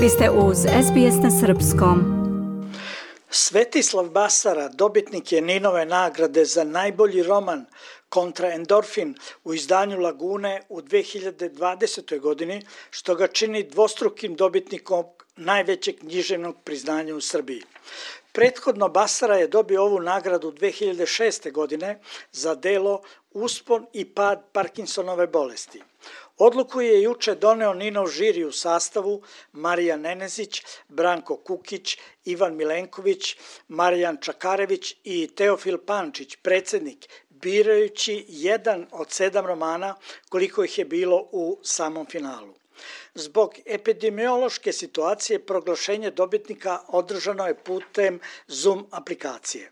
Vi ste uz SBS na srpskom. Svetislav Basara dobitnik je Ninove nagrade za najbolji roman Kontra endorfin u izdanju Lagune u 2020. godini, što ga čini dvostrukim dobitnikom najvećeg književnog priznanja u Srbiji. Prethodno Basara je dobio ovu nagradu 2006. godine za delo Uspon i pad Parkinsonove bolesti. Odluku je juče doneo Ninov žiri u sastavu Marija Nenezić, Branko Kukić, Ivan Milenković, Marijan Čakarević i Teofil Pančić, predsjednik, birajući jedan od 7 romana koliko ih je bilo u samom finalu. Zbog epidemiološke situacije proglašenje dobitnika održano je putem Zoom aplikacije.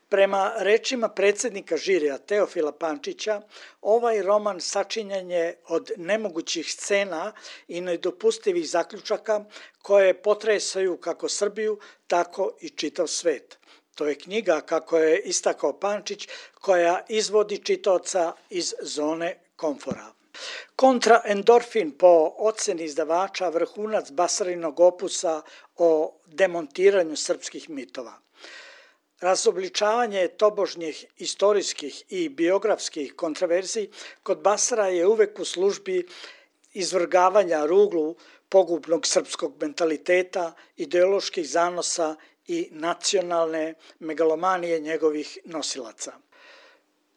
Prema rečima predsjednika žirija Teofila Pančića, ovaj roman sačinjen je od nemogućih scena i nedopustivih zaključaka koje potresaju kako Srbiju, tako i čitav svet. To je knjiga, kako je istakao Pančić, koja izvodi čitaoca iz zone komfora. Kontra endorfin po oceni izdavača vrhunac Basarinog opusa o demontiranju srpskih mitova. Razobličavanje tobožnjih istorijskih i biografskih kontraverzij kod Basara je uvek u službi izvrgavanja ruglu pogubnog srpskog mentaliteta, ideoloških zanosa i nacionalne megalomanije njegovih nosilaca.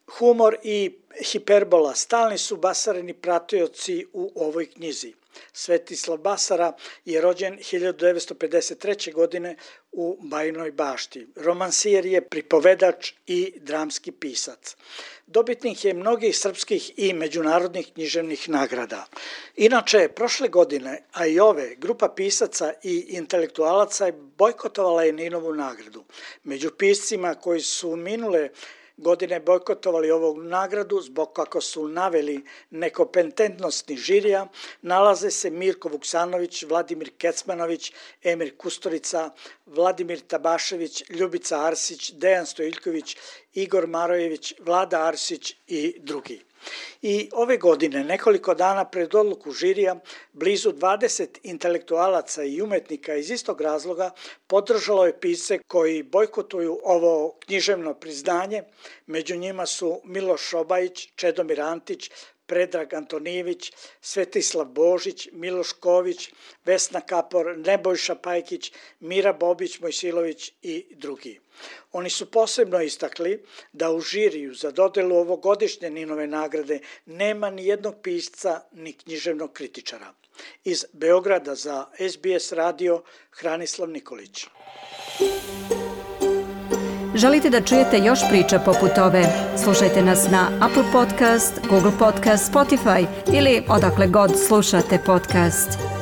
Humor i hiperbola stalni su Basarini pratioci u ovoj knjizi. Svetislav Basara je rođen 1953. godine u Bajinoj Bašti. Romansijer je pripovedač i dramski pisac. Dobitnik je mnogih srpskih i međunarodnih književnih nagrada. Inače, prošle godine, a i ove, grupa pisaca i intelektualaca bojkotovala je Ninovu nagradu. Među piscima koji su minule godine bojkotovali ovu nagradu zbog, kako su naveli, nekompetentnosti žirija, nalaze se Mirko Vuksanović, Vladimir Kecmanović, Emir Kusturica, Vladimir Tabašević, Ljubica Arsić, Dejan Stojiljković, Igor Marojević, Vlada Arsić i drugi. I ove godine, nekoliko dana pred odluku žirija, blizu 20 intelektualaca i umetnika iz istog razloga podržalo je pisce koji bojkotuju ovo književno priznanje. Među njima su Miloš Šobajić, Čedomir Antić, Predrag Antonijević, Svetislav Božić, Miloš Ković, Vesna Kapor, Nebojša Pajkić, Mira Bobić Mojsilović i drugi. Oni su posebno istakli da u žiriju za dodelu ovogodišnje Ninove nagrade nema ni jednog pisca ni književnog kritičara. Iz Beograda za SBS radio Hranislav Nikolić. Želite da čujete još priča poput ove? Slušajte nas na Apple Podcast, Google Podcast, Spotify ili odakle god slušate podcast.